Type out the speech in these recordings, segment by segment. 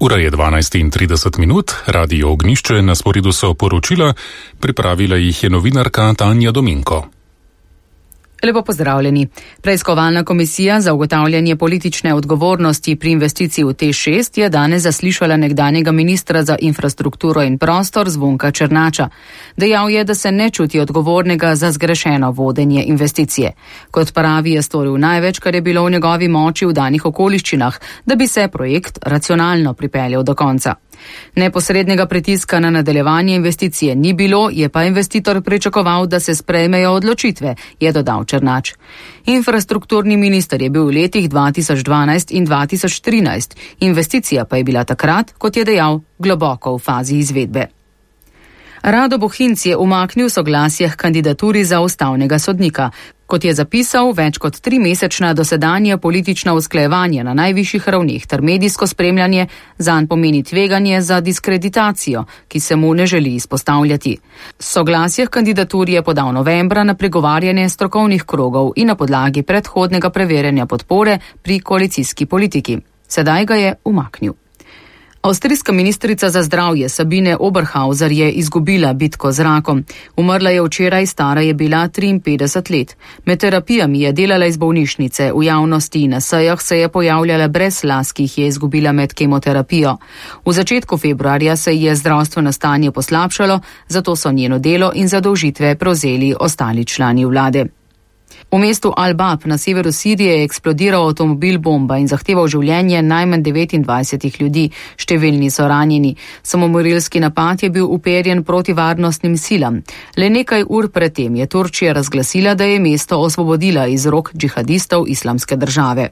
Ura je 12:30, Radio Ognjišče, na sporedu so poročila, pripravila jih je novinarka Tanja Dominko. Lepo pozdravljeni. Preiskovalna komisija za ugotavljanje politične odgovornosti pri investiciji v TEŠ6 je danes zaslišala nekdanjega ministra za infrastrukturo in prostor Zvonka Černača. Dejal je, da se ne čuti odgovornega za zgrešeno vodenje investicije. Kot pravi, je storil največ, kar je bilo v njegovi moči v danih okoliščinah, da bi se projekt racionalno pripeljal do konca. Neposrednega pritiska na nadaljevanje investicije ni bilo, je pa investitor pričakoval, da se sprejmejo odločitve, je dodal Černač. Infrastrukturni minister je bil v letih 2012 in 2013, investicija pa je bila takrat, kot je dejal, globoko v fazi izvedbe. Rado Bohinc je umaknil soglasje k kandidaturi za ustavnega sodnika. Kot je zapisal, več kot 3-mesečna dosedanja politična usklajevanja na najvišjih ravneh ter medijsko spremljanje zanj pomeni tveganje za diskreditacijo, ki se mu ne želi izpostavljati. Soglasje k kandidaturi je podal novembra na pregovarjanje strokovnih krogov in na podlagi predhodnega preverjanja podpore pri koalicijski politiki. Sedaj ga je umaknil. Avstrijska ministrica za zdravje Sabine Oberhauser je izgubila bitko z rakom. Umrla je včeraj, stara je bila 53 let. Med terapijami je delala iz bolnišnice, v javnosti in na sejah se je pojavljala brez las, ki jih je izgubila med kemoterapijo. V začetku februarja se je zdravstveno stanje poslabšalo, zato so njeno delo in zadolžitve prevzeli ostali člani vlade. V mestu Al-Bab na severu Sirije je eksplodiral avtomobil bomba in zahteval življenje najmanj 29 ljudi, številni so ranjeni. Samomorilski napad je bil uperjen proti varnostnim silam. Le nekaj ur predtem je Turčija razglasila, da je mesto osvobodila iz rok džihadistov Islamske države.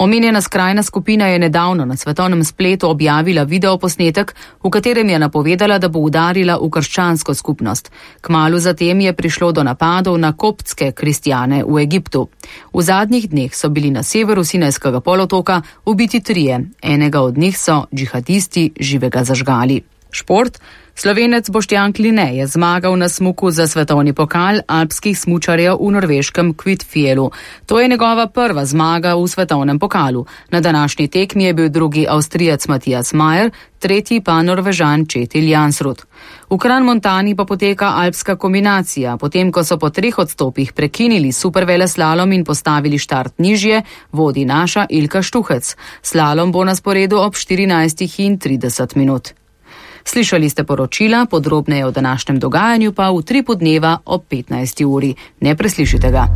Omenjena skrajna skupina je nedavno na svetovnem spletu objavila videoposnetek, v katerem je napovedala, da bo udarila v krščansko skupnost. Kmalu zatem je prišlo do napadov na koptske kristjane v Egiptu. V zadnjih dneh so bili na severu Sinajskega polotoka ubiti 3, enega od njih so džihadisti živega zažgali. Šport. Slovenec Boštjan Kline je zmagal na smuku za svetovni pokal alpskih smučarjev v norveškem Kvitfjellu. To je njegova prva zmaga v svetovnem pokalu. Na današnji tekmi je bil drugi Avstrijec Matijas Majer, tretji pa Norvežan Kjetil Jansrud. V Kranmontani pa poteka alpska kombinacija. Potem, ko so po 3 odstopih prekinili superveleslalom in postavili štart nižje, vodi naša Ilka Štuhec. Slalom bo na sporedu ob 14:30. Slišali ste poročila, podrobneje o današnjem dogajanju pa v 3 podneva ob 15. uri. Ne preslišite ga.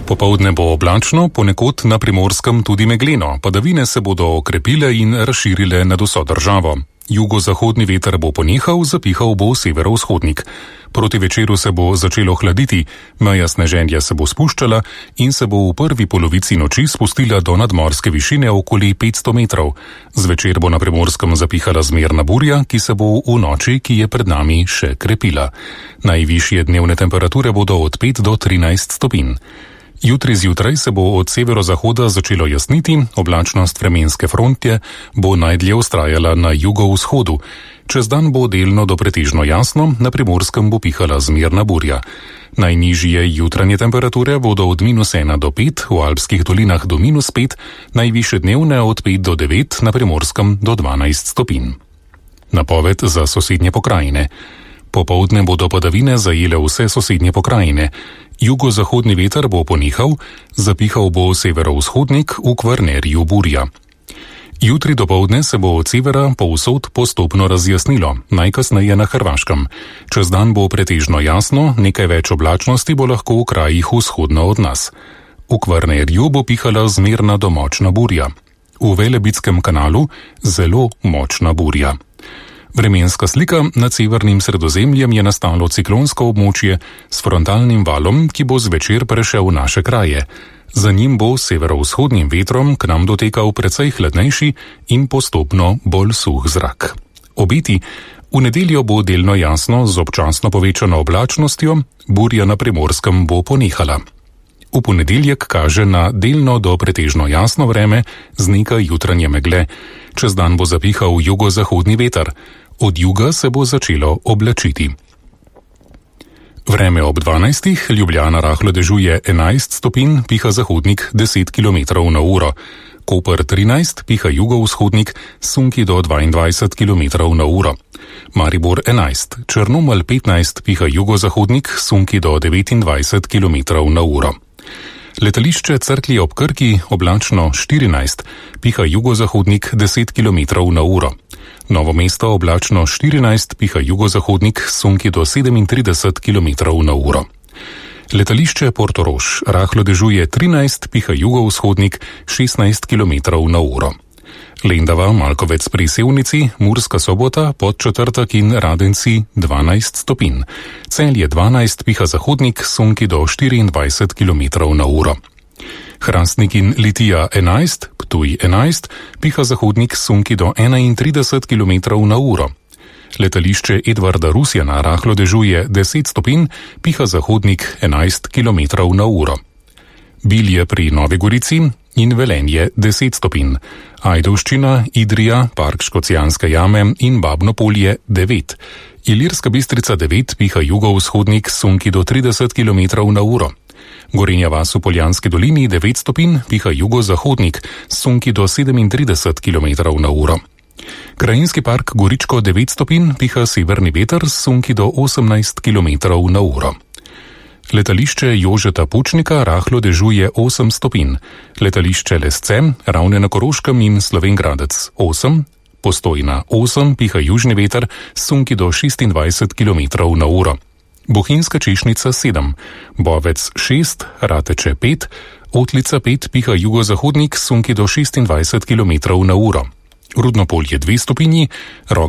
Popoldne bo oblačno, ponekod na Primorskem tudi megleno. Padavine se bodo okrepile in razširile nad vso državo. Jugozahodni veter bo ponehal, zapihal bo severovzhodnik. Proti večeru se bo začelo hladiti, meja sneženja se bo spuščala in se bo v prvi polovici noči spustila do nadmorske višine okoli 500 metrov. Zvečer bo na Primorskem zapihala zmerna burja, ki se bo v noči, ki je pred nami, še krepila. Najvišje dnevne temperature bodo od 5 do 13 stopinj. Jutri zjutraj se bo od severozahoda začelo jasniti, oblačnost vremenske frontje bo najdlje vztrajala na jugovzhodu. Čez dan bo delno do pretežno jasno, na Primorskem bo pihala zmerna burja. Najnižje jutranje temperature bodo od -1 do 5, v alpskih dolinah do -5, najvišje dnevne od 5 do 9, na Primorskem do 12 stopinj. Napoved za sosednje pokrajine. Popoldne bodo padavine zajele vse sosednje pokrajine. Jugozahodni veter bo ponehal, zapihal bo severovzhodnik, v Kvarnerju burja. Jutri dopoldne se bo od severa povsod postopno razjasnilo, najkasneje na Hrvaškem. Čez dan bo pretežno jasno, nekaj več oblačnosti bo lahko v krajih vzhodno od nas. V Kvarnerju bo pihala zmerna do močna burja. V Velebitskem kanalu zelo močna burja. Vremenska slika nad severnim Sredozemljem je nastalo ciklonsko območje s frontalnim valom, ki bo zvečer prešel v naše kraje. Za njim bo severovzhodnim vetrom k nam dotekal precej hladnejši in postopno bolj suh zrak. Obeti, v nedeljo bo delno jasno z občasno povečano oblačnostjo, burja na Primorskem bo ponehala. V ponedeljek kaže na delno do pretežno jasno vreme z nekaj jutranje megle. Čez dan bo zapihal jugozahodni veter. Od juga se bo začelo oblačiti. Vreme ob 12. Ljubljana rahlo dežuje 11 stopinj, piha zahodnik 10 km na uro. Koper 13, piha jugovzhodnik, sunki do 22 km na uro. Maribor 11, Črnomelj 15, piha jugozahodnik, sunki do 29 km na uro. Letališče Cerklje ob Krki oblačno 14, piha jugozahodnik 10 km na uro. Novo mesto oblačno 14, piha jugozahodnik, sunki do 37 km na uro. Letališče Portorož rahlo dežuje 13, piha jugovzhodnik 16 km na uro. Lendava, Malkovec pri Sevnici, Murska Sobota, Podčetrtek in Radenci 12 stopinj. Celje 12, piha zahodnik, sunki do 24 km na uro. Hrastnik in Litija 11, Ptuj 11, piha zahodnik, sunki do 31 km na uro. Letališče Edvarda Rusjana rahlo dežuje 10 stopinj, piha zahodnik 11 km na uro. Bilje pri Novi Gorici in Velenje 10 stopinj. Ajdovščina, Idrija, Park Škocjanske jame in Babno Polje 9. Ilirska Bistrica 9, piha jugovzhodnik, sunki do 30 km na uro. Gorenja vas v Poljanski dolini 9 stopinj, piha jugozahodnik, sunki do 37 km na uro. Krajinski park Goričko 9 stopinj, piha severni veter, sunki do 18 km na uro. Letališče Jožeta Pučnika rahlo dežuje 8 stopinj. Letališče Lesce, Ravne na Koroškem in Slovenj Gradec 8. Postojna 8, piha južni veter, sunki do 26 km na uro. Bohinjska Češnica 7. Bovec 6, Rateče 5. Otlica 5, piha jugozahodnik, sunki do 26 km na uro. Rudno Polje 2 stopinji, Rog